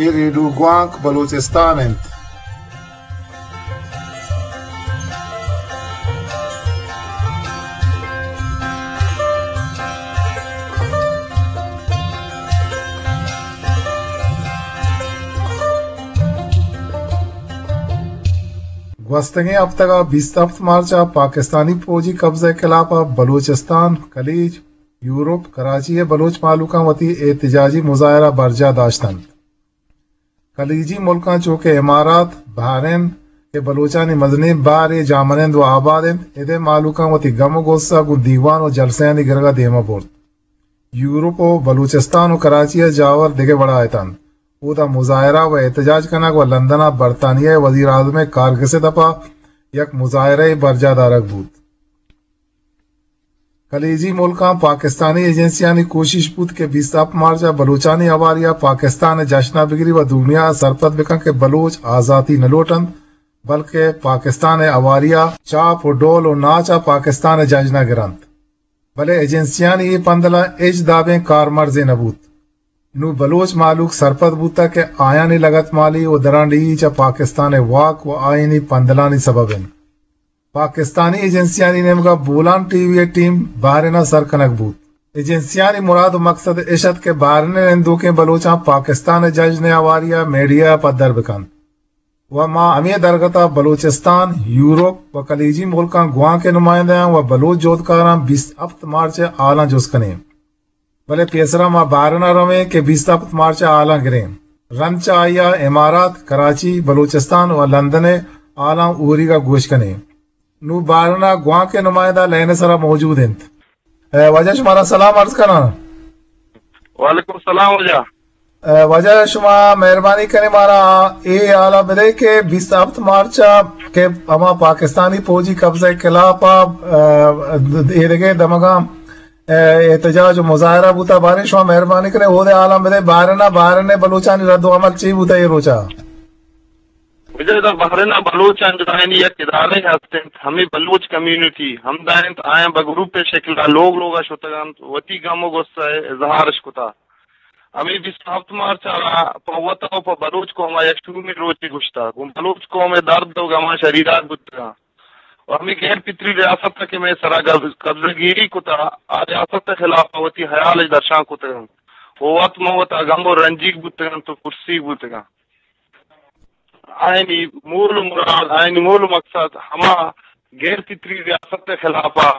اے ریڈیو گوانک بلوچستان انت۔ گوستگیں ہپتگ ءَ بیست ہپت مارچ ءَ پاکستانی پوجی قبضہ ءِ خلاف ءَ بلوچستان، خلیج، یورپ، کراچی ءِ بلوچ مھلوکاں وتی احتجاجی مظاہرہ برجاہ داشت انت۔ خلیجی ملکاں چو کہ امارات، بحرین کہ بلوچانی مزنیں بارے جاہ منند ءُ آباد انت، اد ءِ مھلوکاں وتی گم ءُ غصہ گوں دیوان ءُ جلسہانی گرگ ءَ دیم ءَ برت۔ یورپ ءُ بلوچستان ءُ کراچی ءَ جاور دگہ وڑا اتنت۔ اودا مظاہرہ ءُ احتجاج کنگ ءُ لندن ءَ برطانیہ ءِ وزیر اعظم ءِ کارگس ءِ دپ ءَ یک مظاہرہ یے برجاہ دارگ بوت۔ خلیجی ملکاں پاکستانی ایجنسیانی کوشش بوت کہ بیست ہپت مارچ ءَ بلوچانی ہواری ءَ پاکستان ءِ جشن ءَ بگری ءُ دنیا ءَ سرپد بکن کہ بلوچ آزاتی نہ لوٹ انت، بلکہ پاکستان ءِ ہواری ءَ چاپ ءُ ڈول ءُ ناچ ءَ پاکستان ءِ جشن ءَ گرنت۔ بلے ایجنسیانی اے پندل ءَ ہچ دابیں کارمرزے نہ بوت۔ نوں بلوچ مھلوک سرپد بوتگ کہ آیانی لگتمالی ءُ درانڈیھی چہ پاکستان ءِ واک ءُ آئینی پندلانی سبب انت۔ پاکستانی ایجنسیانی نیمگ ءَ بولان ٹی وی ءِ ٹیم بحرین ءَ سر کنگ بوت۔ ایجنسیانی مراد ءُ مقصد اش ات کہ بحرین ءِ نندوکیں بلوچاں پاکستان ءِ جشن ءِ ہواری ءَ میڈیا ءَ پدر بکنت۔ ءُ ما ہمے درگت ءَ بلوچستان، یورپ ءُ خلیجی ملکاں گوانک ءِ نمائندہاں ءُ بلوچ جہدکاراں بیست ہپت مارچ ءِ ہالاں جست کنیں۔ بلے پیسرا ما بحرین ءَ رویں کہ بیست ہپت مارچ ءِ ہالاں گریں۔ رند چہ آئی ءَ امارات، کراچی، بلوچستان ءُ لندن ءِ ہالاں اوریگ ءَ گوش کنیں۔ نوں بحرین ءَ گوانک ءِ نمائندہ لائن ءِ سرا موجود انت۔ اے، واجہ شمارا سلام عرض کناں۔ وعلیکم السلام واجہ۔ اے، واجہ شما مہربانی کنیں مارا اے ہالا بدئے کہ بیست ہپت مارچ ءَ کہ ہما پاکستانی پوجی قبضہ ءِ خلاف ءَ، اے، اے دگہ دمگاں، اے، احتجاج ءُ مظاہرہ بوتا، باریں شما مہربانی کنیں اود ءِ ہالاں بدئے، بحرین ءَ، بحرین ءِ بلوچانی رد ءُ عمل چی بوتا اے روچ ءَ؟ واجہ ادا بحرین ءَ بلوچانی یک ادارے ہست انت، ہمے بلوچ کمیونٹی ہمدا انت، آیاں بہ گروپ ءِ شکل ءَ لوگ لوگ ءَ شتگ انت، وتی گم ءُ غصہ ءِ اظہارش کتا۔ ہمے بیست ہپت مارچ ءَ را پہ وت ءُ پہ بلوچ قوم ءَ یک شومیں روچے گوشتا، گوں بلوچ قوم ءِ درد ءُ گماں شریدار بوتگاں۔ ءُ ہمے غیر فطری ریاست ءَ کہ مئے سرا قبض-، قبضہ گیری کتا، آ ریاست ءِ خلاف ءَ وتی ہیال اش درشان کتگ انت۔ ءُ وت من وتا گم ءُ رنجیگ بوتگ انت ءُ پرسیگ بوتگاں۔ آیانی مول ءُ مراد، آیانی مول ءُ مقصد ہما غیر فطری ریاست ءِ خلاف ءَ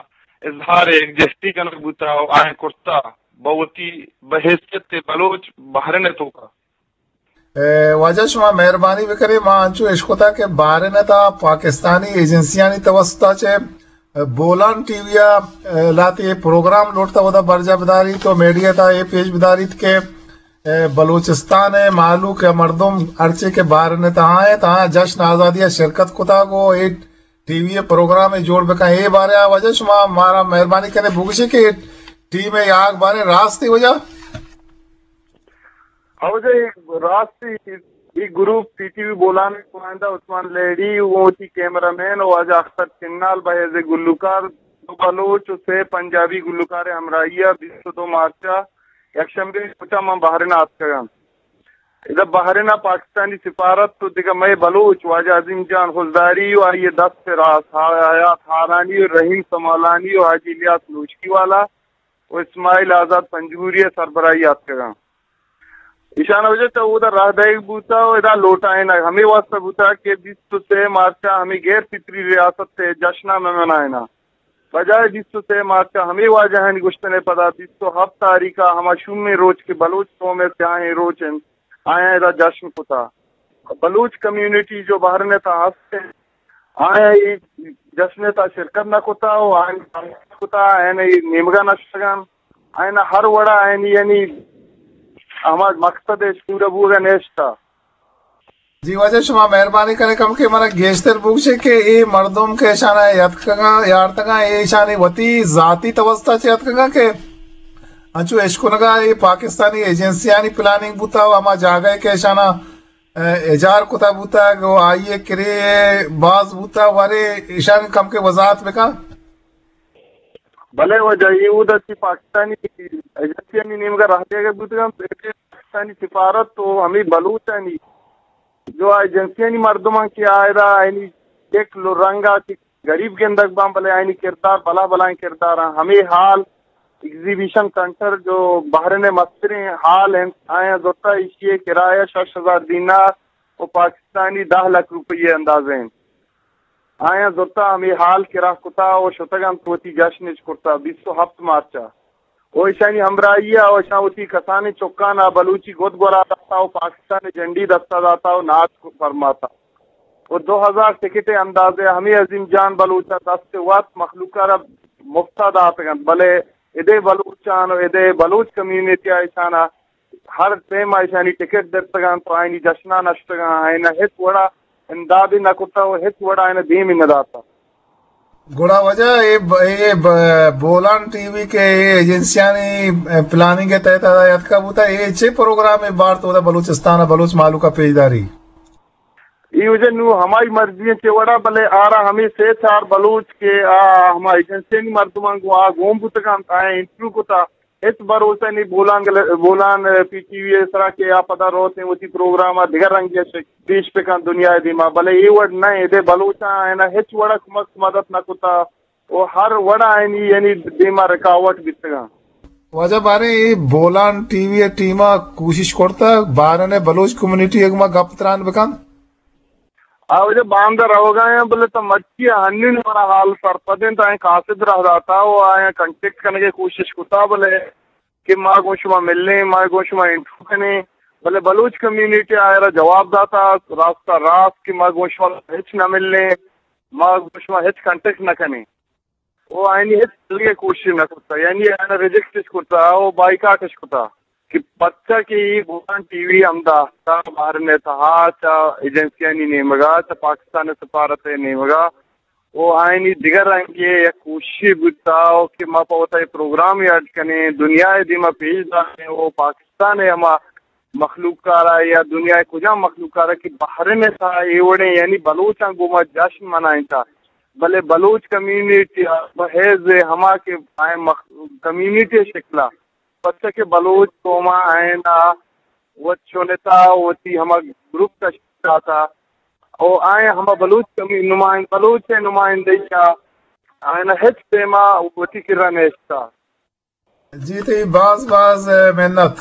اظہار یکجہتی کنگ بوتا ءُ آیاں کرتا بہ وتی بہ حیثیت بلوچ بحرین ءِ توکا۔ اے، واجہ شما مہربانی بکنیں، ما انچو اشکتا کہ بحرین ءِ تہا پاکستانی ایجنسیانی توسط ءَ چہ بولان ٹی وی ءَ، اے، لہتے پروگرام لوٹتا اودا برجاہ بداریت ءُ میڈیا ءِ تہا اے پیش بداریت کہ، اے، بلوچستان ءِ مہلوک یا مردم ہرچے کہ بحرین ءِ تہا انت، آیاں جشن آزادی ءَ شرکت کتگ ءُ اے ٹی وی ءِ پروگرامے جوڑ بکن۔ اے بارے ءَ واجہ شما مارا مہربانی کنیں بگوشے کہ ٹیم ءِ یاگ باریں راستی واجہ؟ ہو جی، راستی، اے گروپ سی ٹی وی بولان ءِ نمائندہ عثمان لہڑی ءُ وتی کیمرہ مین ءُ واجہ اختر چنال بہ حیث گلوکار، دو بلوچ ءُ سے پنجابی گلوکار ءِ ہمراہی ءَ بیست ءُ دو مارچ ءَ یک شمبے ءِ روچ ءَ من بحرین ءَ اتکگاں۔ ادا بحرین ءَ پاکستانی سفارت ءُ دگہ مئے بلوچ واجہ عظیم جان خضداری ءُ آئی ءِ دست ءِ راست حیات ہارانی ءُ رحیم سمالانی ءُ حاجی الیاس نوشکی والا ءُ اسماعیل آزاد پنجگوری ءِ سربراہی ءَ اتکگاں۔ ایشان ءَ واجہ چہ اودا راہ دئیگ بوتگ ءُ ادا لوٹائینگ ہمے واسطہ بوتگ کہ بیست ءُ سے مارچ ءَ ہمے غیر فطری ریاست ءِ جشن ءَ مہ منائیناں۔ بجائے بیست ءُ سے مارچ ءَ ہمے واجہانی گوشتن ءِ پدا بیست ءُ ہپت تاریخ ءَ ہما شومیں روچ کہ بلوچ قوم ءِ سیاہیں روچ انت، آیاں ادا جشن کتا۔ بلوچ کمیونٹی جو بحرین ءِ تہا ہست انت، آیاں اے جشن ءِ تہا شرکت نہ کتا ءُ آیاں کتا، آیاں اے نیمگا نہ شتگاں، آیاں ہر وڑا آیانی یعنی ہما مقصد اش پورا بوگا نیشتا۔ جی واجہ، شما مہربانی کنیں کمکے منا گیشتر بگوشے کہ اے مردم کہ اشانا یتکگاں، یارتگاں، اے اشانی وتی ذاتی توسط ءَ چہ یتکگاں کہ انچو اشکنگا اے پاکستانی ایجنسیانی پلاننگ بوتا ءُ ہما جاگہ کہ اشانا، اے، اجار کتا بوتا ءُ آئی ءِ کرے باز بوتا، ورے اشانی کمکے وضاحت بکن۔ بلے واجہ، اے اودا چہ پاکستانی ایجنسیانی نیمگا راہ دیگا بوتگاں، پاکستانی سفارت و ہمے بلوچانی جو آ ایجنسیانی مردماں کہ آئرا آئینی یک لو رنگا کہ گریب گندگ باں، بلے آئینی کردار بلا بلائیں کرداراں۔ ہمے ہال ایگزیبیشن سنٹر جو بحرین ءِ مستریں ہال انت، آیاں زرتا ایشی ءِ کرایہ شش ہزار دینار و پاکستانی دہ لکھ روپیہ ءِ اندازہ انت۔ آیاں زرتا ہمے ہال کرا کتا و شتگ انت وتی جشن اش کرتا بیست و ہپت مارچ ءَ۔ و ایشانی ہمراہی ءَ و ایشاں وتی کسانیں چکان ءَ بلوچی گد گورا داتا و پاکستان ءِ جنڈی دستا داتا و ناچ فرماتا۔ و دو ہزار ٹکٹ ءِ اندازہ ہمے عظیم جان بلوچ ءَ دست ءَ وت مخلوق ءَ را مفت ءَ داتگ انت، بلے ادے بلوچان و ادے بلوچ کمیونٹی ءَ ایشان ءَ ہر ٹائم ءَ ایشانی ٹکٹ درتگ انت و آئینی جشناں نشتگ انت، آئین ءَ ہچ وڑا امدادی نہ کتہ و ہچ وڑا آئین ءَ دیمی نہ داتہ۔ گڑا واجہ اے ب-، اے ب-، بولان ٹی وی کہ اے ایجنسیانی پلاننگ ءِ تحت ءَ اتکا بوتا، اے چے پروگرام ءِ بارت اودا بلوچستان ءَ بلوچ مہلوک ءَ پیش داری؟ اے واجہ نوں ہمائی مرضی انت چے وڑا، بلے آرا ہمے سے چار بلوچ کہ آ ہما ایجنسیانی مردماں گوں آ گون بوتگ انت، آیاں انٹرویو کتا۔ ہچ بھروسہ نی بولان گل-، بولان پی ٹی وی ءِ سرا کہ آ پدا روت ءُ وتی پروگرام ءَ دگہ رنگے ءَ شک-، پیش بکن دنیا ءِ دیما، بلے اے وڑ نہ، ادے بلوچاں آیاں ہچ وڑا کمک مدد نہ کتا و ہر وڑا آیانی یعنی دیما رکاوٹ بیتگاں۔ واجہ باریں اے بولان ٹی وی ءِ ٹیم ءَ کوشش کرتا باریں بلوچ کمیونٹی ءَ گما گپ تران بکن؟ آ واجہ باندا روگا آں، بلے تا مرچی ہنین منا حال سرپد انت، آیاں قاصد راہ داتا و آیاں کنٹیکٹ کنگے کوشش کتا، بلے کہ ما گوں شما ملیں، ما گوں شما انٹرویو کنیں، بلے بلوچ کمیونٹی آئرا جواب داتا راستہ راست کہ ما گوں شما ہچ نہ ملیں، ما گوں شما ہچ کنٹیکٹ نہ کنیں۔ و آیانی ہچ دلگے کوشش نہ کرتا، یعنی آیانا ریجیکٹ اش کرتا و بائیکاٹ اش کرتا کہ پرچا کہ اے بولان ٹی وی ہمدا تا بحرین ءِ تہا چہ ایجنسیانی نیمگا، چہ پاکستان ءِ سفارت ءِ نیمگا و آیانی دگہ رنگے یک کوششے بوتا و کہ ما پہ وتا اے پروگرام ءَ اڈ کنیں، دنیا ءِ دیما پیش داریں و پاکستان ءِ ہما مخلوق کارا یا دنیا ءِ کجام مخلوق کارا کہ بحرین ءِ تہا اے وڑیں یعنی بلوچاں گوما جشن منائینتا، بلے بلوچ کمیونٹی ءَ بحیث ہما کہ آئیں مخ-، کمیونٹی ءِ شکلا، پرچا کہ بلوچ قوم ءَ آئینا وت چنتا، وتی ہما گروپ تشکیل داتا، او آئیں ہما بلوچ کمی-، نمائند-، بلوچ ءِ نمائندہی ءَ آئینا ہچ پیما وتی کرا نیشتا۔ جی تئی باز باز منت۔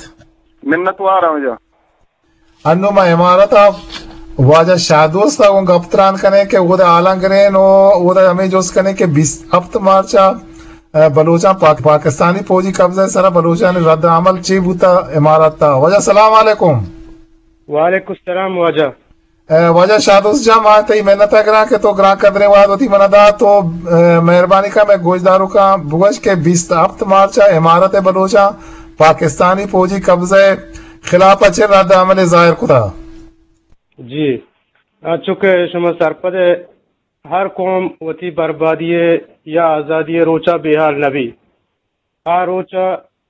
منت وار ہوں جا۔ انو ما امارت ءَ واجہ شاہ دوست ءَ گوں گپ تران کنیں کہ اودا حالاں گریں و اودا ہمے جست کنیں کہ بیست ہپت مارچ ءَ، ءَ، بلوچاں پاک-، پاکستانی فوجی قبضہ ءِ سرا بلوچانی رد عمل چی بوتا امارت ءَ۔ واجہ سلام علیکم۔ وعلیکم السلام واجہ۔ ءَ، واجہ شاہ دوست جان، ما تئی منت ءَ گراں کہ تو گران قدریں وہد وتی من ءَ دات و، ءَ، مہربانی کن مئے گوشداروکاں بگوش کہ بیست ہپت مارچ ءَ امارت بلوچاں پاکستانی فوجی قبضہ ءِ خلاف ءَ چہ رد عمل ظاہر کتا۔ جی، انچو کہ شما سرپد ءَ، ہر قوم وتی بربادی ءِ یا آزادی ءِ روچا بے حال نہ بی۔ آ روچا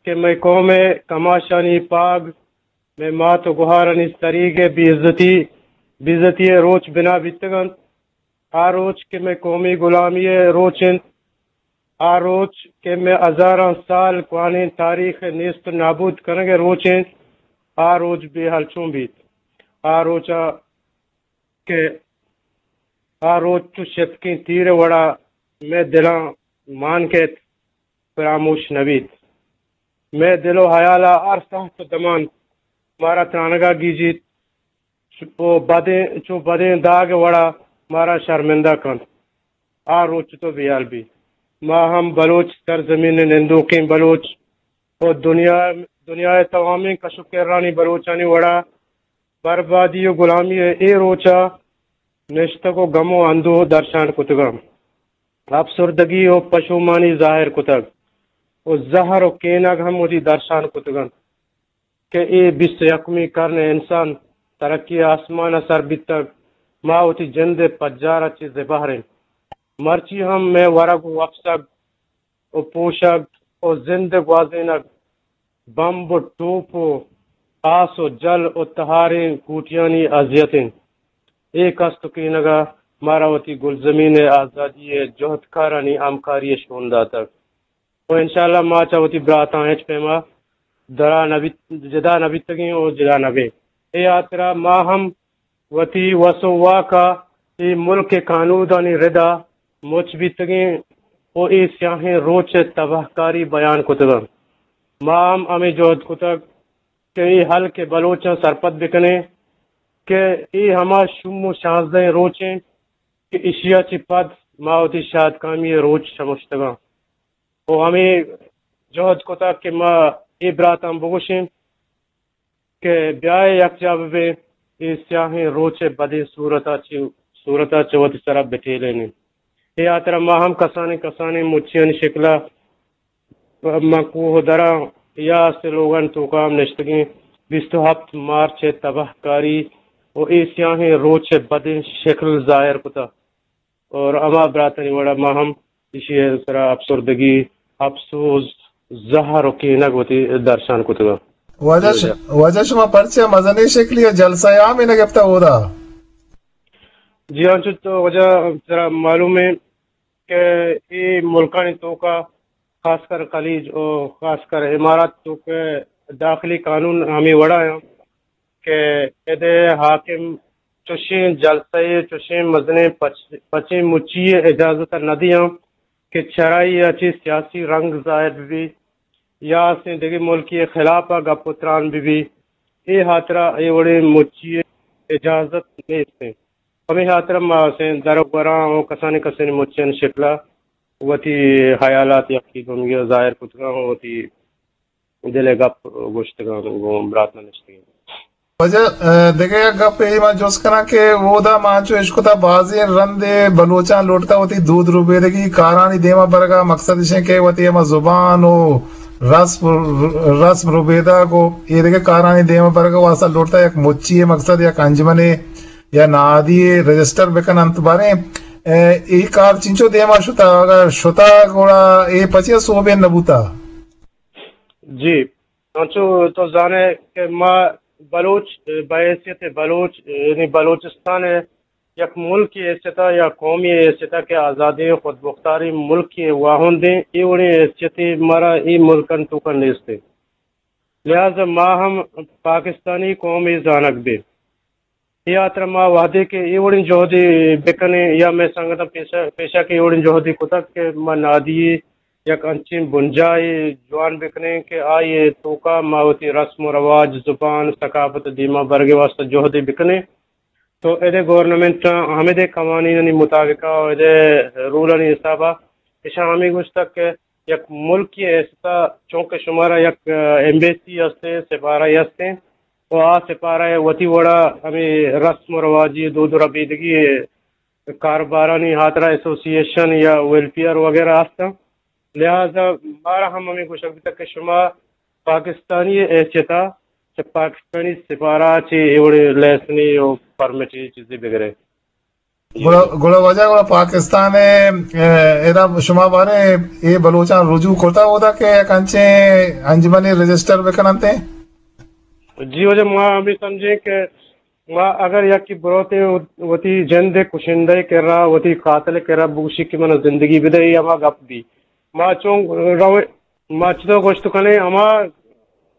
کہ مئے قوم ءِ کماشانی پاگ، مئے مات و گہارانی سریگ ءِ بے عزتی، بے عزتی ءِ روچ بنا بیتگ انت۔ آ روچ کہ مئے قومی غلامی ءِ روچ انت، آ روچ کہ مئے ہزاراں سال کوانیں تاریخ ءِ نیست و نابود کنگ ءِ روچ انت، آ روچ بے حال چون بیت؟ آ روچ ءَ کہ آ روچ چو شتکیں تیر ءِ وڑا مئے دلاں مان کیت، فراموش نہ بیت۔ مئے دل و حیال ءَ ہر ساعت و دمان مارا ترانگا گیجیت و بدیں، چو بدیں داگ ءِ وڑا مارا شرمندہ کنت۔ آ روچ تو بیال بی۔ ما ہم بلوچ سرزمین ءِ نندوکیں بلوچ و دنیا، دنیا ءِ توامیں کش و کرانی بلوچانی وڑا بربادی و غلامی ءِ اے روچا نشتگ و گم و اندوہ درشان کتگاں۔ افسردگی و پشومانی ظاہر کتگ و زہر و کینگ ہم وتی درشان کتگ انت کہ اے بیست و یکمی کرن ءِ انسان ترقی آسمان ءَ سر بیتگ، ما وتی جند ءِ پجار ءَ چہ زبہر ایں۔ مرچی ہم مئے ورگ و وپسگ و پوشگ و زند ءِ گوازینگ بمب و ٹوپ و آس و جل و تہاریں کوٹیانی اذیت انت۔ اے کست و کینگ ءَ مارا وتی گلزمین ءِ آزادی ءِ جہدکارانی ہمکاری ءِ شون داتگ و انشاءاللہ ما چہ وتی براتاں ہچ پیما درا نہ بیت، جدا نہ بیتگیں و جدا نہ بیں۔ اے ہاترا ما ہم وتی وس و واکا اے ملک ء کانودانی ردا مچ بیتگیں و اے سیاہیں روچ ء تباہکاری بیان کتگ انت۔ ما ہم ہمے جہد کتگ کہ اے ہلک ء بلوچاں سرپد بکنیں کہ اے ہما شوم و شانزدہیں روچ انت کہ اشیا چہ پد ما وتی شادکامی ء روچ شمشتگاں و ہمے جہد کتگ کہ ما اے براتاں بگوشیں کہ بیائے یکجاہ ببیں، اے سیاہیں روچ ء بدیں صورت ء چہ، صورت ء چہ وتی سرا بٹیلینیں۔ اے ہاترا ما ہم کسانیں کسانیں مچیانی شکل ء ماں کوہ دراں یا سے لوگانی توکا ہم نشتگیں۔ بیست و ہپت مارچ ء تباہ کاری و اے سیاہیں روچ ء بدیں شکل ظاہر کتہ۔ اور ہما براتانی وڑا ما ہم ایشی ء سرا افسردگی، افسوز، زہر و کینگ وتی درشان کتگ۔ واجہ ش-، واجہ شما پرچہ مزنیں شکلی ء جلسہ عام ء نہ گپتہ اودا؟ جی ہاں، چو تو واجہ سرا معلوم ہے کہ اے ملکانی توکا خاص کر خلیج و خاص کر امارات توکا داخلی قانون ہمے وڑا ہیں کہ ادے حاکم چوشیں جلسہ ء چوشیں مزنیں پچ-، پچیں مچی ء اجازت ء نہ دیاں کہ چرائی ء چہ سیاسی رنگ ظاہر بہ بی یا اسیں دگہ ملکی ء خلاف ء گپ و تران بہ بی۔ اے ہاترا اے وڑیں مچی ء اجازت نیست انت۔ ہمے ہاترا ما اسیں در و گوراں و کسانیں کسانیں مچیانی شکل ء وتی خیالات یکے دومی ء ظاہر کتگاں و وتی دل ء گپ گوشتگاں گوں براتاں نشتگیں۔ واجہ، ء، دگہ یک گپے ما جست کناں کہ اودا ما انچو اشکتا بازیں رندے بلوچاں لوٹتا وتی دود ربیدگی کارانی دیما برگا، مقصد اشیں کہ وتی ہما زبان و رسم، رسم ربیدگ و اے دگہ کارانی دیما برگا واسطہ لوٹتا یک مچی، مقصد یک انجمنے یا نادی رجسٹر بکن انت۔ باریں، ء، اے کار چنچو دیما شتا؟ اگر شتا گڑا اے پچیا سوبین نبوتا؟ جی، انچو تو زانے کہ ما بلوچ، بحیثیت بلوچ، یعنی بلوچستان یک ملکی حیثیت یا قومی حیثیت کہ آزادیں خودمختاریں ملکی واہندیں، اے وڑیں حیثیت مارا اے ملکن توکا نیست۔ لہذا ما ہم پاکستانی قومی زانگ بیں۔ اے ہاترا ما وہدے کہ اے وڑیں جہدے بکنیں یا مئے سنگتاں پیشہ، پیشہ کہ اے وڑیں جہدے کتگ کہ ما نادی یک انچیں بنجاہے جوان بکنیں کہ آئی توکا ما وتی رسم و رواج، زبان، ثقافت دیما برگے واسطہ جہدے بکنیں، تو ادے گورنمنٹ ہمدے قوانینانی مطابقا و ادے رولانی حسابا اشاں ہمے گوشتگ کہ یک ملکی حیثیتا چونکہ شمارا یک ایمبیسی ہستیں، سفارہ ہستیں، و آ سپارہ ء وتی وڑا ہمے رسم و رواجی دود و ربیدگی کاروبارانی ہاترا ایسوسی ایشن یا ویلفیئر وغیرہ ہستاں۔ لہذا مارا ہم ہمے گوشگ بیتگ کہ شما پاکستانی حیثیتا چہ پاکستانی سپارہ چہ اے وڑیں لائسنی و پرمٹی چیزے بگرے۔ گڑا، گڑا واجہ گڑا پاکستان ء، ء، ادا شما بارے اے بلوچاں رجوع کرتا اودا کہ یک انچیں انجمنے رجسٹر بکننت؟ جی واجہ، ما ہمیں سمجھیں کہ ما اگر یکی بروتے وتی جند کشندہ کرا، وتی قاتل کرا بگوشی کہ من زندگی بدے، اے ہما گپ بی۔ ما چون روے، ما چطور گوشت کنے، ہما،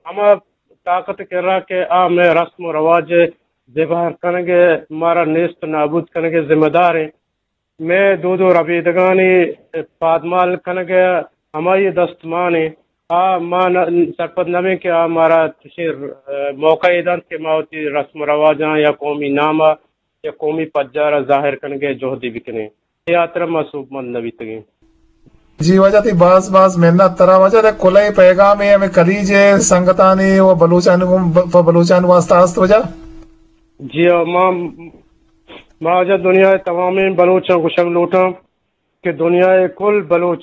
ہما طاقت کرا کہ آ مئے رسم و رواج زبہر کنگ ء، مارا نیست نابود کنگ ء ذمہ دار ایں۔ مئے دود و ربیدگانی پادمال کنگ ء ہمائی دستمان ایں۔ آ ما نہ، سرپد نہ بیں کہ آ مارا چشیں موقع ء دنت کہ ما وتی رسم و رواجاں یا قومی نام ء یا قومی پجار ء ظاہر کنگ ء جہدے بکنیں۔ اے ہاترا ما سوبمند نہ بیتگیں۔ جی واجہ، تئی باز باز منت ترا واجہ۔ دے کلہ پیغامے ہمیں کلیج ء سنگتانی و بلوچانی گوں ب-، پہ بلوچانی واسطہ است واجہ؟ جی ہاں، ما، ما واجہ دنیا ء تمامیں بلوچاں گوشگ لوٹاں کہ دنیا ء کل بلوچ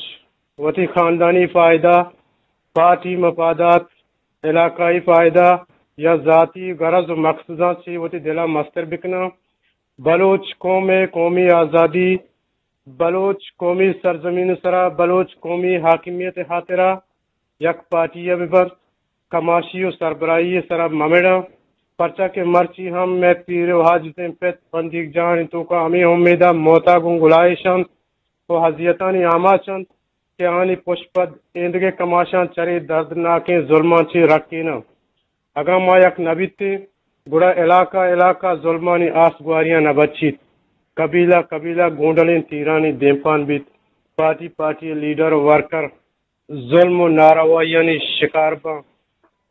وتی خاندانی فائدہ، پارٹی مفادات، علاقائی فائدہ یا ذاتی غرض و مقصداں چہ وتی دلا مستر بکناں۔ بلوچ قوم ء قومی آزادی، بلوچ قومی سرزمین ء سرا بلوچ قومی حاکمیت ء خاطرا یک پارٹی ء بہ بنت، کماشی و سربراہی ء سرا مہ مڑاں، پرچا کہ مرچی ہم مئے پیر و حاجتیں پت بندیگ جاہانی توکا ہمے امیداں موتا گوں گلائیش انت و اذیتانی آماچ انت۔ کہ آنی پشپد ایندگہ کماشاں چرے دردناکیں ظلماں چہ رکیناں۔ اگاں ما یک نہ بیتیں، گڑا علاقہ علاقہ ظلمانی آس گواریاں نہ بچیت۔ قبیلہ قبیلہ گونڈلیں تیرانی دیمپان بیت۔ پارٹی پارٹی لیڈر و ورکر ظلم و ناروائیانی شکار باں۔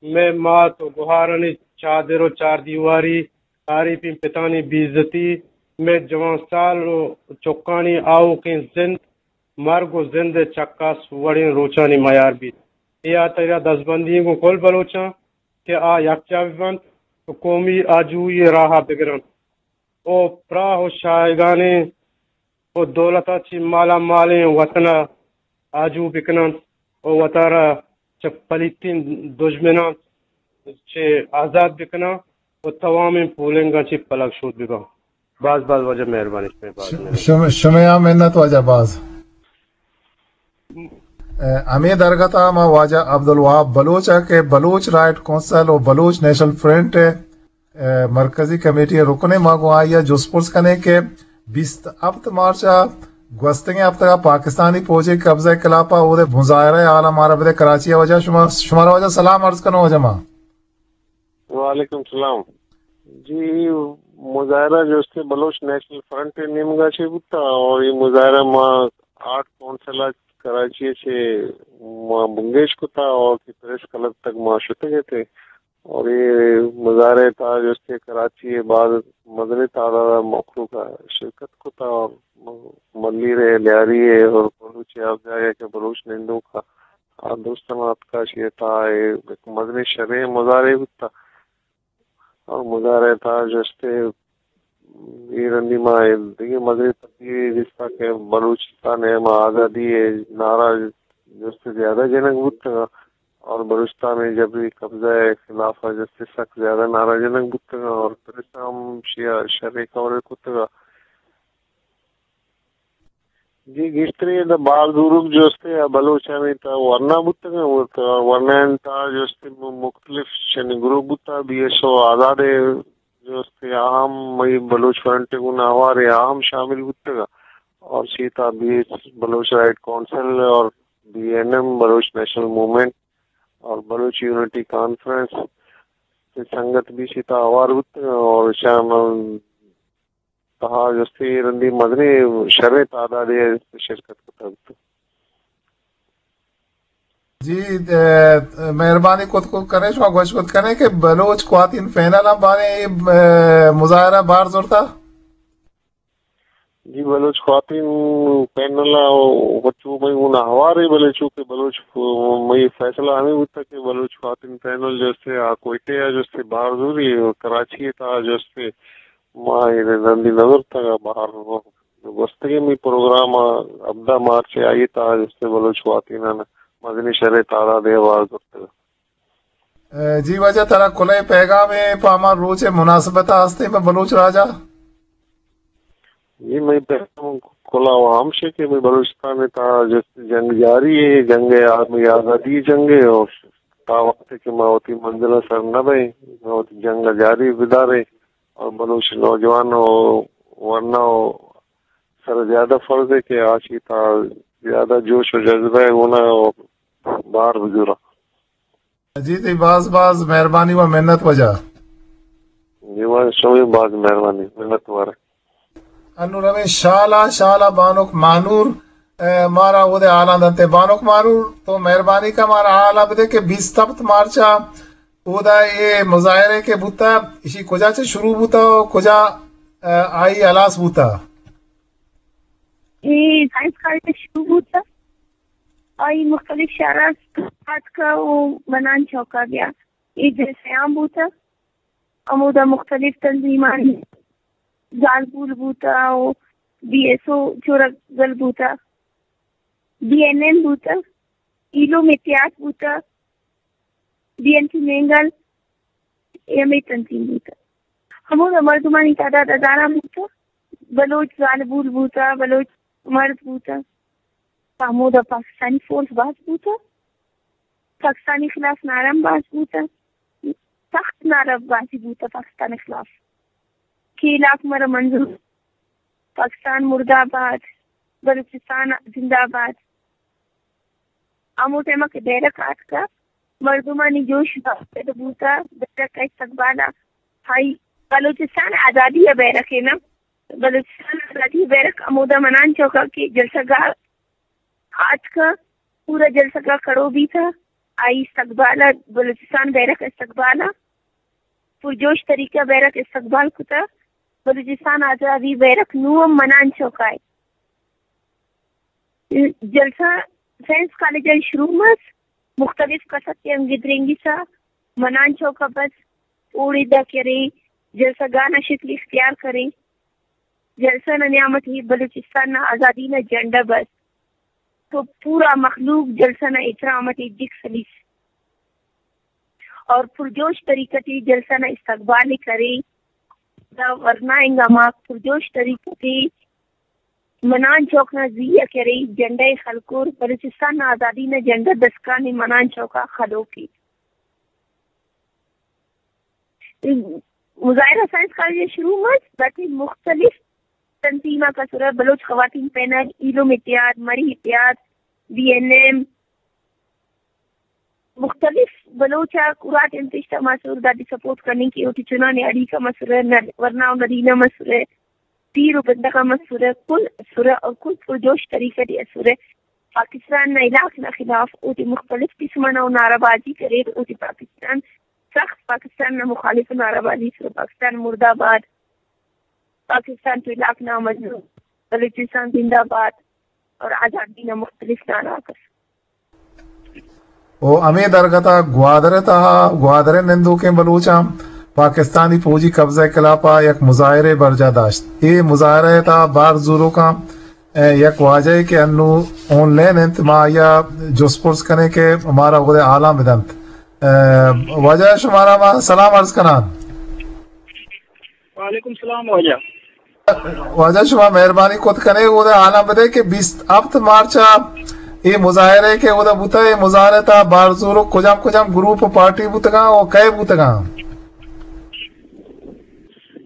مئے مات و گہارانی چادر و چاردیواری، آریپیں پتانی بیزتی، مئے جوان سال و چکانی آؤکیں زند، مرگ و زند ء چکاس وڑیں روچانی میار بیت۔ اے ہاترا دزبندی گوں کل بلوچاں کہ آ یکجاہ بہ بنت و قومی آجوئی ء راہ ء بگرنت و پراہ و شاہگانیں و دولت ء چہ مالا مالیں وطن ء آجو بکننت و وتارا چہ پلیتیں دژمناں چہ آزاد بکناں و توامیں پولنگاں چہ پلگ شود بباں۔ باز باز واجہ مہربانی شمئے، باز ش-، مہربانی۔ شم-، شمئے ہم منت واجہ باز۔ ء، ہمے درگت ء ما واجہ عبدالوہاب بلوچ ء کہ بلوچ رائٹ کونسل و بلوچ نیشنل فرنٹ ء، ء، مرکزی کمیٹی ء رکن ء، ما گوں آئی ء جست پرس کنیں کہ بیست ہپت مارچ ء گوستگیں ہپتگ ء پاکستانی پوج ء قبضہ ء خلاف ء اود ء مظاہرہ ء حال ء مارا بدے کراچی ء واجہ۔ شما، شمارا واجہ سلام عرض کنوں واجہ ما۔ وعلیکم سلام۔ جی، مظاہرہ جو است بلوچ نیشنل فرنٹ ء نیمگا چہ بوتا اور یہ مظاہرہ ما آرٹ کونسل ء کراچی ء چہ ما بنگیج کتا اور کہ پریس کلب تک ما شتگ اتیں اور یہ مظاہرہ ء تہا جو است کراچی ء بعد مزنیں تعداد ء مخلوق ء شرکت کتا اور ملیر ء لیاری ء اور بلوچ ء ہر جاگہ کہ بلوچ نندوک ء آ دوستاں اتکا شی تہا اے یک مزنیں شریں مظاہرے بوتا اور مظاہرے تہا جستے اے رندی ما اے دگہ مزنیں تبدیلی دیستا کہ بلوچستان ء ما آزادی ء نعرہ جستے زیادہ جنگ بوتگا اور بلوچستان ء جبری قبضہ ء خلاف ء جستے سک زیادہ نعرہ جنگ بوتگا اور پریس ء ہم شیا شریں کور کتگا۔ جی، گیشتریں ادا بار زوروک جو استے آ بلوچانی تہا ورنا بوتگ انت، ورنا انت تہا جو استے م-، مختلف چنی گروپ بوتا، بی ایس او آزاد ء جو استے آ ہم مئی بلوچ فرنٹ ء گوں ہوار ء آ ہم شامل بوتگ ء اور چی تہا بی ایس بلوچ رائٹ کونسل اور بی این ایم بلوچ نیشنل موومنٹ اور بلوچ یونٹی کانفرنس ء سنگت بھی چی تہا ہوار بوتگ ء اور شام تہا جستے رندی مزنیں شریں تعدادے ء شرکت کتگ۔ جی، ء، مہربانی کت کت کنے، شما گوش کت کنے کہ بلوچ خواتین پینل ہم باریں، ء، مظاہرہ بار زرتا؟ جی، بلوچ خواتین پینل ء چو مئی گونا ہوارے، بلے چونکہ بلوچ مئی فیصلہ ہمیں بوتا کہ بلوچ خواتین پینل جستے آ کوئٹے ء جستے بار زوری، کراچی ء تہا جستے ما اے رندی نہ زرتگ ء بہر گوستگیں می پروگرام ء ہبدہ مارچ ء آئی ء تہا جستے بلوچ خواتینان مزنیں شریں تعداد ء بار زرتگ۔ ء، جی واجہ ترا کلہ پیغام ء پہ ہما روچ ء مناسبت ء ہستیں پہ بلوچ راج ء؟ جی، مئی پیغام کلہ و ہمشے کہ مئی بلوچستان ء تہا جستے جنگ جاری ہے، جنگ ء آ-، مئی آزادی جنگ ہے اور تا وقت کہ ما وتی منزل ء سر نہ بئیں، ما وتی جنگ ء جاری بداریں۔ اور بلوچ نوجوان و ورنا و سر زیادہ فرض ہے کہ آ چی تا زیادہ جوش و جذبہ ہے گونا و بار بزورا۔ جی، تئی باز باز مہربانی و منت واجہ۔ جی، واجہ شمئے باز مہربانی، منت وار۔ انو رویں شالا، شالا بانک مانور، اے، مارا اودے حالاں دنتے۔ بانک مانور، تو مہربانی کا مارا حالا بدے کہ بیست ہپت مارچا اودا اے مظاہرے کہ بوتا، اشی کجا چہ شروع بوتا و کجا، اے، آئی ہلاس بوتا؟ اے سائنس کالج شروع بوتا۔ آئی مختلف شہرا آتکا و منان چوکا بیا۔ اے جلسیان بوتا۔ ہمودا مختلف تنظیمانی زالبول بوتا و بی ایس او چورا گل بوتا، بی این ایم بوتا، ایلو میتیات بوتا، بی این سی مینگل، اے ہمے تنظیم بوتا۔ ہمودا مردمانی تعداد ہزاراں بوتا، بلوچ زالبول بوتا، بلوچ مرد بوتا۔ ہمودا پاکستانی فورس باز بوتا۔ پاکستانی خلاف نعرہ ہم باز بوتہ، سخت نعرہ بازی بوتہ پاکستان خلاف کہ علاق مرا منظور، پاکستان مردہ باد، بلوچستان زندہ باد۔ ہمو ٹائم ءَ کہ بیرک آتکہ، مردمانی جوش پیدا بوتہ، بیرک ءِ استقبال ءَ، ہائی، بلوچستان آزادی ءِ بیرک ءَ نا، بلوچستان آزادی ءِ بیرک ہمودا منان چوک ءَ کہ جلسہ گاہ آتکہ، پورا جلسہ گاہ کڑو بیتہ، آئی استقبال ءَ، بلوچستان بیرک ءِ استقبال ءَ پرجوش طریقہ بیرک استقبال کتہ۔ بلوچستان آزادی بیرک نوں ہم منان چوک ءَ اے۔ جلسہ سائنس کالج ءَ شروع مس، مختلف کسک ءِ ہم گدرینگی سا منان چوک ءَ بس، اوڑے دا کرے، جلسہ گاہ نا شکل اختیار کرے۔ جلسہ نا نیام ٹی بلوچستان نا آزادی نا جھنڈا بس، تو پورا مخلوق جلسہ نا احترام ٹی جک سلیس اور پرجوش طریقہ ٹی جلسہ نا استقبال ءِ کرے۔ دا ورنا انگا ہماک پرجوش طریقہ ٹی منان چوک نا زی ءَ کرے، جھنڈا ءِ خلکور، بلوچستان نا آزادی نا جھنڈا دسکان ءِ منان چوک آ خلوک ءِ۔ مظاہرہ سائنس کالج ءَ شروع مس، داٹی مختلف تنظیم آک اسرہ، بلوچ خواتین پینل، ایلم اتحاد، مری اتحاد، بی این ایم، مختلف بلوچ آک اراٹیم پیش تماسر، داٹی سپورٹ کننگ کہ اوٹی چنانے اڑیکہ مسرہ، نر-، ورنا و نرینہ مسرہ، پیر و بندغ مسرہ، کل اسرہ اور کل پرجوش طریقہ ٹی اسرہ۔ پاکستان نا ہلاک نا خلاف اوٹی مختلف قسم نا نعرہ بازی کریر، اوٹی پاکستان سخت پاکستان نا مخالف نعرہ بازی اسرہ، پاکستان مردہ باد، پاکستان تو ہلاک نا مظلوم، بلوچستان زندہ باد اور آزادی نا مختلف نعرہ آک ئس۔ و ہمے درگت ء گوادر ء تہا گوادر ء نندوکیں بلوچاں پاکستانی فوجی قبضہ ء خلاف ء یک مظاہرے برجاہ داشت۔ اے مظاہرہ ء تہا بار زوروکاں ء یک واجہے کہ انو آن لائن انت، ما آئی ء جست پرس کنیں کہ مارا اود ء حالاں بدنت۔ ء واجہ شمارا ما سلام عرض کناں۔ وعلیکم سلام واجہ۔ واجہ شما مہربانی کت کنے اود ء حالاں بدے کہ بیست ہفت مارچ ء اے مظاہرے کہ اود ء بوتہ، اے مظاہرے تہا بار زوروک کجام کجام گروپ و پارٹی بوتگاں و کئے بوتگاں؟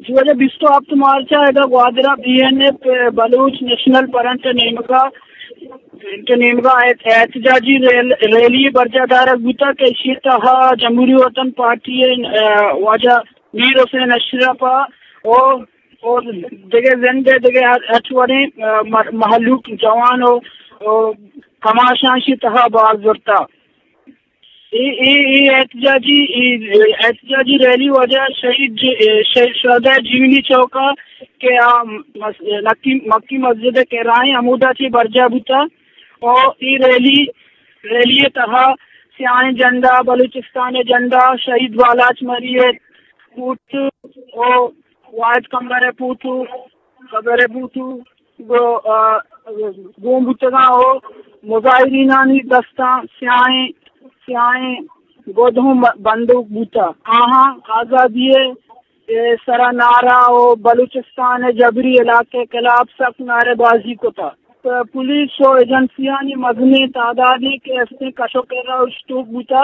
جی واجہ، بیست و ہفت مارچ ء ادا گوادر ء بی این ایف، بلوچ نیشنل فرنٹ ء نیمگا، فرنٹ ء نیمگا احت-، احتجاجی ریل-، ریلی برجاہ دارگ بوتگ کہ ایشی تہا جمہوری وطن پارٹی ء، ا، واجہ میر حسین اشرف ء او، او دگہ زند ء دگہ ہر، ہرچ وڑیں، ا، مر-، مہلوک جوان و، او کماشاں ایشی تہا بار زرتہ۔ اے، اے، اے احتجاجی، اے احتجاجی ریلی واجہ شہید ج-، اے شہید شہداء جیونی چوک ء کہ آ مس-، مکی، مکی مسجد ء کرائیں ہمودا چہ برجاہ بوتہ۔ و اے ریلی، ریلی ء تہا سیاہیں جھنڈا، بلوچستان ء جھنڈا، شہید بالاچ مری ء فوٹو و واحد کمبر ء فوٹو، قبر ء فوٹو، گو-، آ، گون بوتگاں و مظاہرینانی دستاں سیاہیں، سیاہیں گد ہم بندوک بوتہ۔ آہاں آزادی ء سرا نعرہ و بلوچستان ء جبری ہلاک ء خلاف سخت نعرہ بازی کتہ۔ پ-، پولیس و ایجنسیانی مزنیں تعدادے کہ استیں کش و کر ء اوشتوک بوتہ،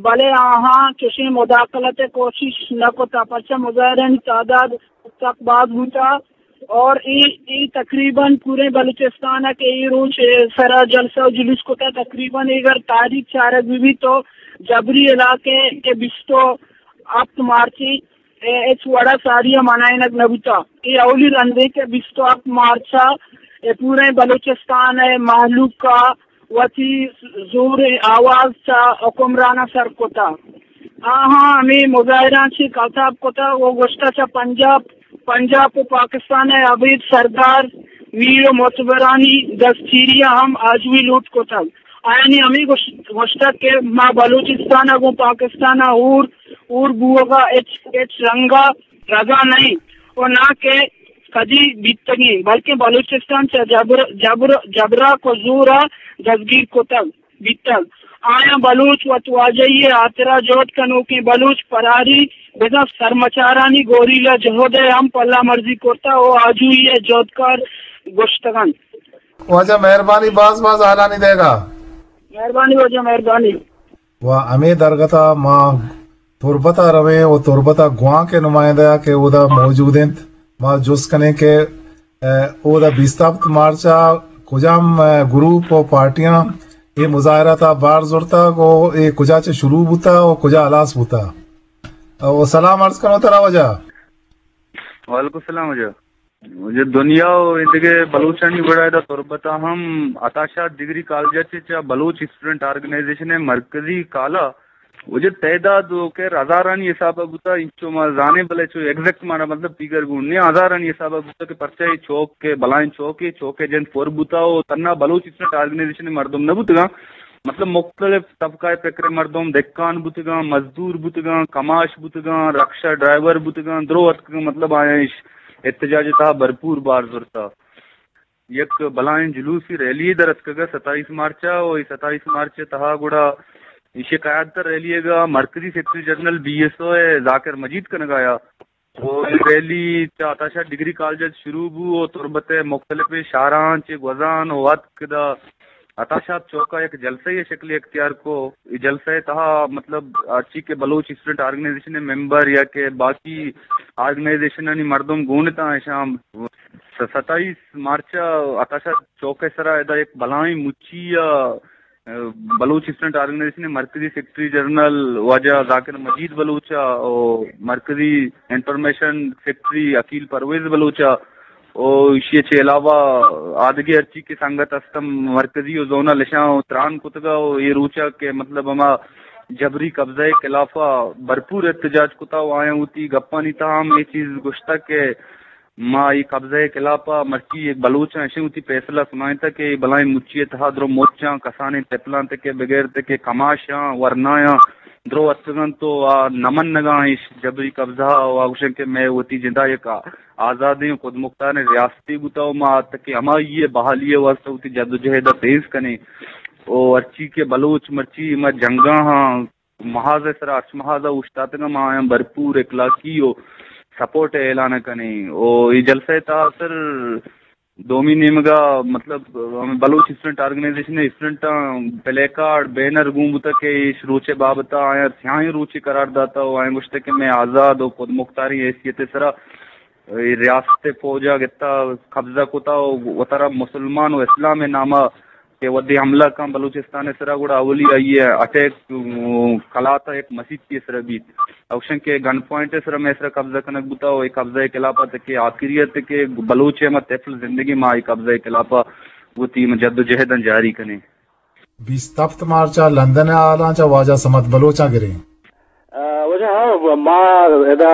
بلے آہاں چشیں مداخلت ء کوشش نہ کتہ، پرچہ مظاہرانی تعداد سک باز بوتہ۔ اور اے، اے تقریباً پورے بلوچستان ء کہ اے روچ، اے، سرا جلسہ و جلوس کتہ، تقریباً اگر تاریخ چارگ بہ بیت تو جبری ہلاک ء کہ بیست و ہفت مارچ ء ہچ وڑا ساری ء منائینگ نہ بوتہ۔ اے اولی رندے کہ بیست و ہفت مارچ ء اے پورے بلوچستان ء مہلوک ء وتی زوریں آواز چہ حکمراناں سر کتہ۔ آہاں ہمے مظاہراں چہ کاتاب کتہ و گوشتہ چہ پنجاب، پنجاب و پاکستان ء ابید سردار میر و معتبرانی دستگیری ء ہم آجوئی لوٹ کتگ۔ آیانی ہمے گوش-، گوشتگ کہ ما بلوچستان ء گوں پاکستان ء ہور، ہور بوہگ ء ہچ، ہچ رنگ ء رضا نہ ایں و ناں کہ کدی بیتگیں، بلکیں بلوچستان چہ جبر، جبر، جبرا کو زورا دزگیر کتگ بیتگ۔ آیاں بلوچ وتواجہی ء ہاترا جہد کنوکیں بلوچ فراری بزاں سرمچارانی گوریلا جہد ء ہم پلہ مرزی کرتہ و آجوئی ء جہدکار گوشتگ انت۔ واجہ مہربانی باز باز حالانی دئیگا۔ مہربانی واجہ، مہربانی۔ و ہمے درگت ء ما تربت ء رویں و تربت ء گوانک ء نمائندہ کہ اودا موجود انت، ما جست کنیں کہ، ء، اودا بیست ہفت مارچ ء کجام، ء، گروپ و پارٹیاں اے مظاہرہ تا بار زرتگ و اے کجا چہ شروع بوتا و کجا ہلاس بوتا؟ و سلام عرض کنو ترا واجہ۔ وعلیکم السلام واجہ۔ واجہ، دنیا و ایدگہ بلوچانی وڑا ادا تربت ء ہم عطا شاد ڈگری کالج ء چہ چہ بلوچ اسٹوڈنٹ آرگنائزیشن ء مرکزی کالہ واجہ تعداد و کر ہزارانی حساب ء بوتا، انچو ما زانیں، بلے چو ایگزیکٹ مانا مطلب فیگر گون نے، ہزارانی حساب ء بوتا کہ پرچہ اے چوک ء بلائیں چوک ء چوک ء جند پر بوتا و تنا بلوچ اسٹوڈنٹ آرگنائزیشن ء مردم نہ بوتگاں، مطلب مختلف طبقہ ء فکر ء مردم، دہکان بوتگاں، مزدور بوتگاں، کماش بوتگاں، رکشہ ڈرائیور بوتگاں، درو اتکگاں، مطلب آیاں اش احتجاج ء تہا بھرپور بار زرتا۔ یک بلائیں جلوسی ریلی در اتکگ ء ستائیس مارچ ء، و اے ستائیس مارچ ء تہا گڑا ایشی قیادت ء ریلی ء مرکزی سیکرٹری جنرل بی ایس او ء ذاکر مجید کنگ ء آیا۔ و اے ریلی چہ عطا شاد ڈگری کالج ء شروع بو و تربت ء مختلف شہراں چہ گوزان و اتک دا عطا شاد چوک ء یک جلسہ ء شکل اختیار کو۔ اے جلسہ ء تہا مطلب ہرچی کہ بلوچ اسٹوڈنٹ آرگنائزیشن ء ممبر یا کہ باقی آرگنائزیشنانی مردم گون اتاں، اشاں س-، ستائیس مارچ ء عطا شاد چوک ء سرا ادا یک بلائیں مچی ء، ء، بلوچ اسٹوڈنٹ آرگنائزیشن ء مرکزی سیکرٹری جنرل واجہ ذاکر مجید بلوچ ء و مرکزی انفارمیشن سیکرٹری عقیل پرویز بلوچ ء و ایشی ء چہ علاوہ آدگہ ہرچی کہ سنگت است، مرکزی و زونل، اشاں تران کتگ ء و اے روچ ء کہ مطلب ہما جبری قبضہ ء خلاف ء بھرپور احتجاج کتا و آیاں وتی گپانی تہا ہم اے چیز گوشتگ کہ ما اے قبضہ ء خلاف ء مرچی یک بلوچاں اشیں وتی فیصلہ سنائینتگ کہ اے بلائیں مچی ء تہا درو مچاں، کسانیں تپلاں تکے بغیر تکے کماشاں، ورنایاں درو اتکگ انت و آ نہ منگاں اش جبری قبضہ ء و آ گوشن کہ مئے وتی جندا یک آزادیں و خودمختاریں ریاستے بوتا و ما تکے ہمائی ء بحالی ء واستہ وتی جدوجہد ء تیز کنیں و ہرچی کہ بلوچ مرچی ما جنگاں ہاں محاذ ء سرا ہرچ محاذ ء اوشتاتگ آں، ما آیاں بھرپور اخلاقی و سپورٹ ء اعلان ء کنیں و اے جلسہ ء تہا سر دومی نیمگ ء مطلب ہمے بلوچ اسٹوڈنٹ آرگنائزیشن ء اسٹوڈنٹاں پلے کارڈ، بینر گون بوتگ کہ ایش روچ ء بابت ء آیاں سیاہیں روچے قرار داتا و آیاں گوشتگ کہ مئے آزاد و خودمختاریں حیثیت ء سرا اے ریاست ء فوج ء گتا قبضہ کتا و وتارا مسلمان و اسلام ء نام ء کہ وھدے حملہ کن بلوچستان ء سرا گڑا اولی آئی ء اٹیک، م، کلات ء یک مسیتی ء سرا بیت۔ اوشن کہ گن پوائنٹ ء سرا مئے سرا قبضہ کنگ بوتا و اے قبضہ ء خلاف ء تکے آخری ء تکے بلوچ ء ما طفل زندگی ما اے قبضہ ء خلاف ء وتی جدوجہداں جاری کنیں۔ بیست ہفت مارچ ء لندن ء حالاں چہ واجہ صمد بلوچ ء گریں۔ آ، واجہ، ہاں، ما ادا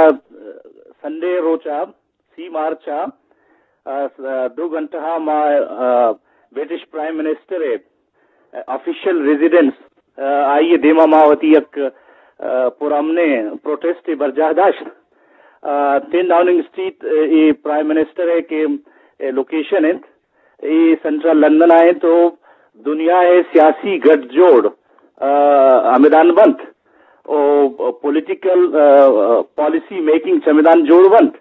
سنڈے روچ ء سی مارچ ء، آ، س-، دو گھنٹہ ء ما، آ، برٹش پرائم منسٹر ء آفیشل ریزیڈنس، آ، آئی ء دیما ما وتی یک، آ، پرامنیں پروٹیسٹ ء برجاہ داشت۔ آ، ٹین ڈاؤننگ اسٹریٹ ء اے پرائم منسٹر ء کہ، اے لوکیشن انت، اے سنٹرل لندن ء انت و دنیا ء سیاسی گٹ جوڑ، آ، ہمدان بنت و پولیٹیکل، آ، پالیسی میکنگ چمدان جوڑ بنت۔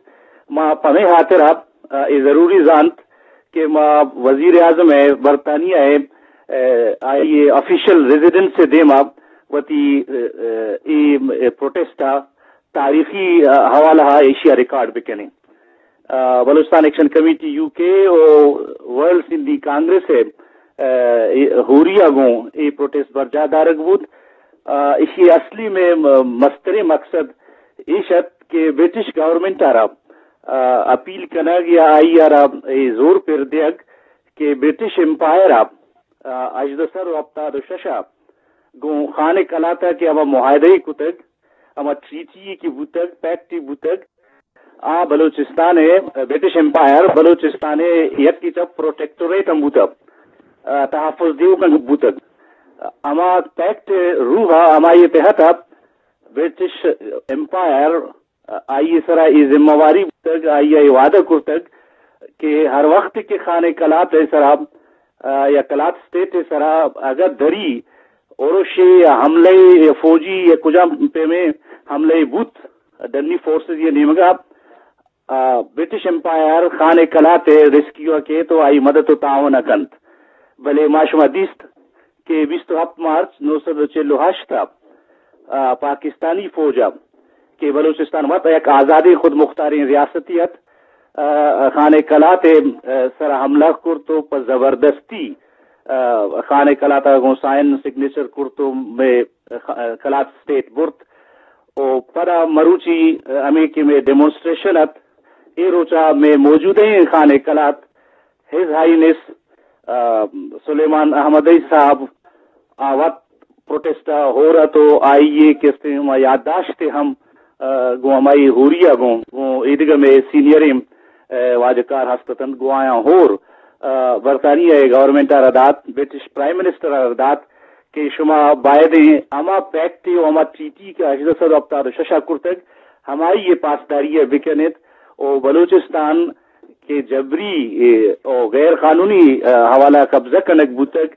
ما پمے ہاترا، آ، اے ضروری زانت کہ ما وزیر اعظم ء برطانیہ ء، آ، آئی ء آفیشل ریزیڈنس ء دیما وتی، آ، آ، اے پروٹیسٹ ء تاریخی، آ، حوالہ ء ایشی ء ریکارڈ بکنیں۔ آ، بلوچستان ایکشن کمیٹی یو کے و ورلڈ سندھی کانگریس ء، آ، اے ہوری ء گوں اے پروٹیسٹ برجاہ دارگ بوت۔ آ، ایشی اصلی میں م-، مستریں مقصد ایش ات کہ برٹش گورنمنٹ ء را، آ، اپیل کنگ یا آئی ء را اے زور پر دیگ کہ برٹش امپائر ء، آ، ہژدہ سد و ہپتاد و شش ء گوں خان قلات ء کہ ہما معاہدہ کتگ، ہما ٹریٹی کہ بوتگ، پیکٹ بوتگ، آ بلوچستان ء، برٹش امپائر بلوچستان ء یک چہ پروٹیکٹوریٹ ہم بوتگ، آ، تحفظ دیوک ہم بوتگ۔ ہما پیکٹ روح ء ہمائی تحت ء برٹش امپائر، آ، آئی سرا اے ذمہ واری بوتگ، آئی ء اے وعدہ کرتگ کہ ہر وقت کہ خان قلات ء سرا، آ، یا قلات اسٹیٹ ء سرا اگاں دری اورشے یا حملہ یا فوجی یا کجام پیمیں حملہ بوت ڈنی فورسز یا نیمگا، آ، برٹش امپائر خان قلات ء ریسکیو ء کیت و آئی مدد و تعاون ء کنت۔ بلے ما شما دیست کہ بیست و ہپت مارچ نو سد و چل و ہشت ء، آ، پاکستانی فوج ء کہ بلوچستان وت یک آزادیں خود مختاریں ریاستی ات، آ، خان قلات ء، آ، سر حملہ کرت و پہ زبردستی خان ءِ کلات ءَ گوں سائن سگنیچر کرت ءُ مئے کلات اسٹیٹ برت۔ ءُ پدا مروچی ہمے کہ مئے ڈیمونسٹریشن ات، اے روچ ءَ مئے موجودہیں خان ءِ کلات، ہز ہائینس سلیمان احمدی صاحب، آ وت پروٹیسٹ ءَ ہور ات ءُ آئی ءِ کسے ہما یادداشتے ہم گوں ہمائی ہوری ءَ گوں، گوں ایدگہ مئے سینئریں واجکار ہست اتنت، گوں آیاں ہور برطانیہ ءِ گورنمنٹ ءَ را دات، برٹش پرائم منسٹر ءَ را دات کہ شما بایدیں ہما پیکٹ ءُ ہما ٹریٹی کہ ہژدہ سد ءُ ہپتاد ءُ شش ءَ کرتگ، ہمائی ءِ پاسداری ءَ بکن ات ءُ بلوچستان کہ جبری ءُ غیر قانونی حوالہ قبضہ کنگ بوتگ،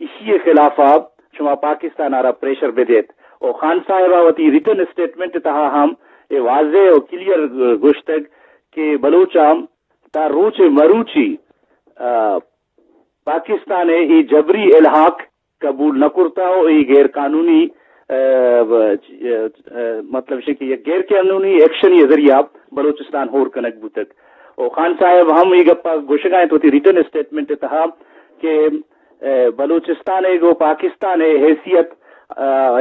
ایشی ءِ خلاف ءَ شما پاکستان ءَ را پریشر بدیت۔ ءُ خان صاحب ءَ وتی ریٹن اسٹیٹمنٹ ءِ تہا ہم اے واضح ءُ کلیئر گوشتگ کہ بلوچاں تا روچ مروچی پاکستان ءِ اے جبری الحاق قبول نہ کرتا ءُ اے غیر قانونی، مطلب شے کہ یک غیر قانونی ایکشن ءِ ذریعہ بلوچستان ہور کنگ بوتگ۔ ءُ خان صاحب ہم اے گپ ءَ گوشگ ءَ انت وتی ریٹن اسٹیٹمنٹ ءِ تہا کہ بلوچستان ءِ گوں پاکستان ءِ حیثیت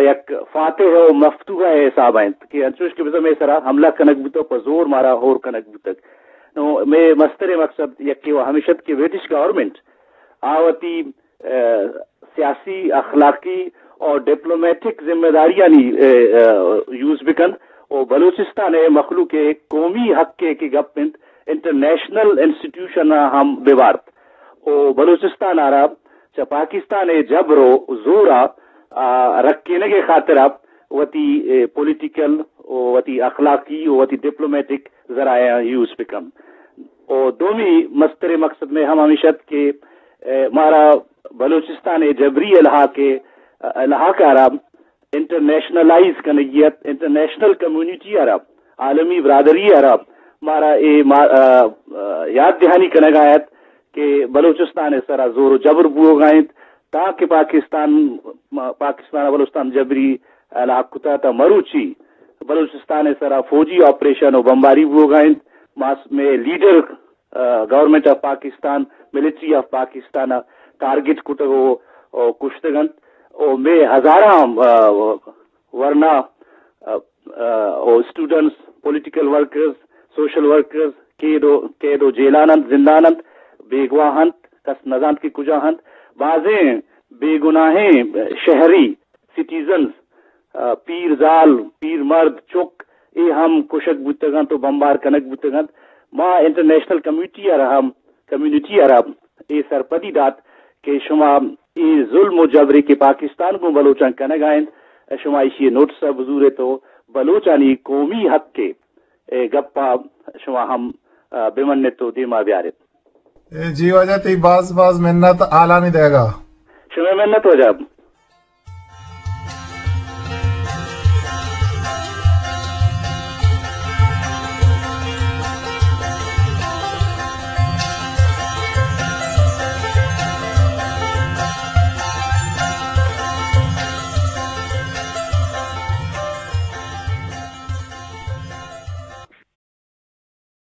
یک فاتح ءُ مفتوح ءِ حساب ءَ انت کہ انچوش کہ بزاں مئے سرا حملہ کنگ بوتگ، پہ زور مارا ہور کنگ بوتگ۔ نو مئے مستریں مقصد یکے ءُ ہمیش ات کہ برٹش گورنمنٹ آ وتی سیاسی، اخلاقی ءُ ڈپلومیٹک ذمہ داریانی یوز بکنت ءُ بلوچستان ءِ مخلوق ءِ قومی حق ءِ کہ گپ انت، انٹرنیشنل انسٹیٹیوشن ءَ ہم ببارت ءُ بلوچستان ءَ را چہ پاکستان ءِ جبر ءُ زور ءَ رکینگ ءِ خاطر ءَ وتی پولیٹیکل ءُ وتی اخلاقی ءُ وتی ڈپلومیٹک ذرائع یوز بکنت۔ ءُ دومی مستریں مقصد مئے ہم ہمیش ات کہ مارا بلوچستان ءِ جبری الحاق ءِ، الحاق ءَ را انٹرنیشنلائز کنگی ات، انٹرنیشنل کمیونٹی ءَ را، عالمی برادری ءَ را مارا اے ما-، یاد دہانی کنگ ءَ ات کہ بلوچستان ءِ سرا زور ءُ جبر بوگ ءَ انت، تاکہ پاکستان، پاکستان ءَ بلوچستان جبری الحاق کتا تا مروچی بلوچستان ءِ سرا فوجی آپریشن ءُ بمباری بوگ ءَ انت۔ ماس مئے لیڈر گورنمنٹ آف پاکستان، ملٹری آف پاکستان ءَ ٹارگٹ کتگ ءُ، ءُ کشتگ انت ءُ مئے ہزاراں ورنا ءُ اسٹوڈنٹس، پولیٹیکل ورکرز، سوشل ورکرز قید ءُ، قید ءُ جیلان انت، زندان انت، بیگواہ انت، کس نزانت کہ کجا انت۔ بازیں بے گناہیں شہری، سٹیزنز، پیر زال، پیر مرد، چک، اے ہم کشگ بوتگ انت ءُ بمبار کنگ بوتگ انت۔ ما انٹرنیشنل کمیونٹی ءَ را ہم، کمیونٹی ءَ را اے سرپدی دات کہ شما اے ظلم ءُ جبرے کہ پاکستان گوں بلوچاں کنگ ءَ انت، شما ایشی ءِ نوٹس ءَ بزور ات ءُ بلوچانی قومی حق ءِ اے گپ ءَ شما ہم بمن ات ءُ دیما بیار ات۔ جی واجہ، تئی باز باز منت حالانی دئیگ ءَ۔ شمئے منت واجہ۔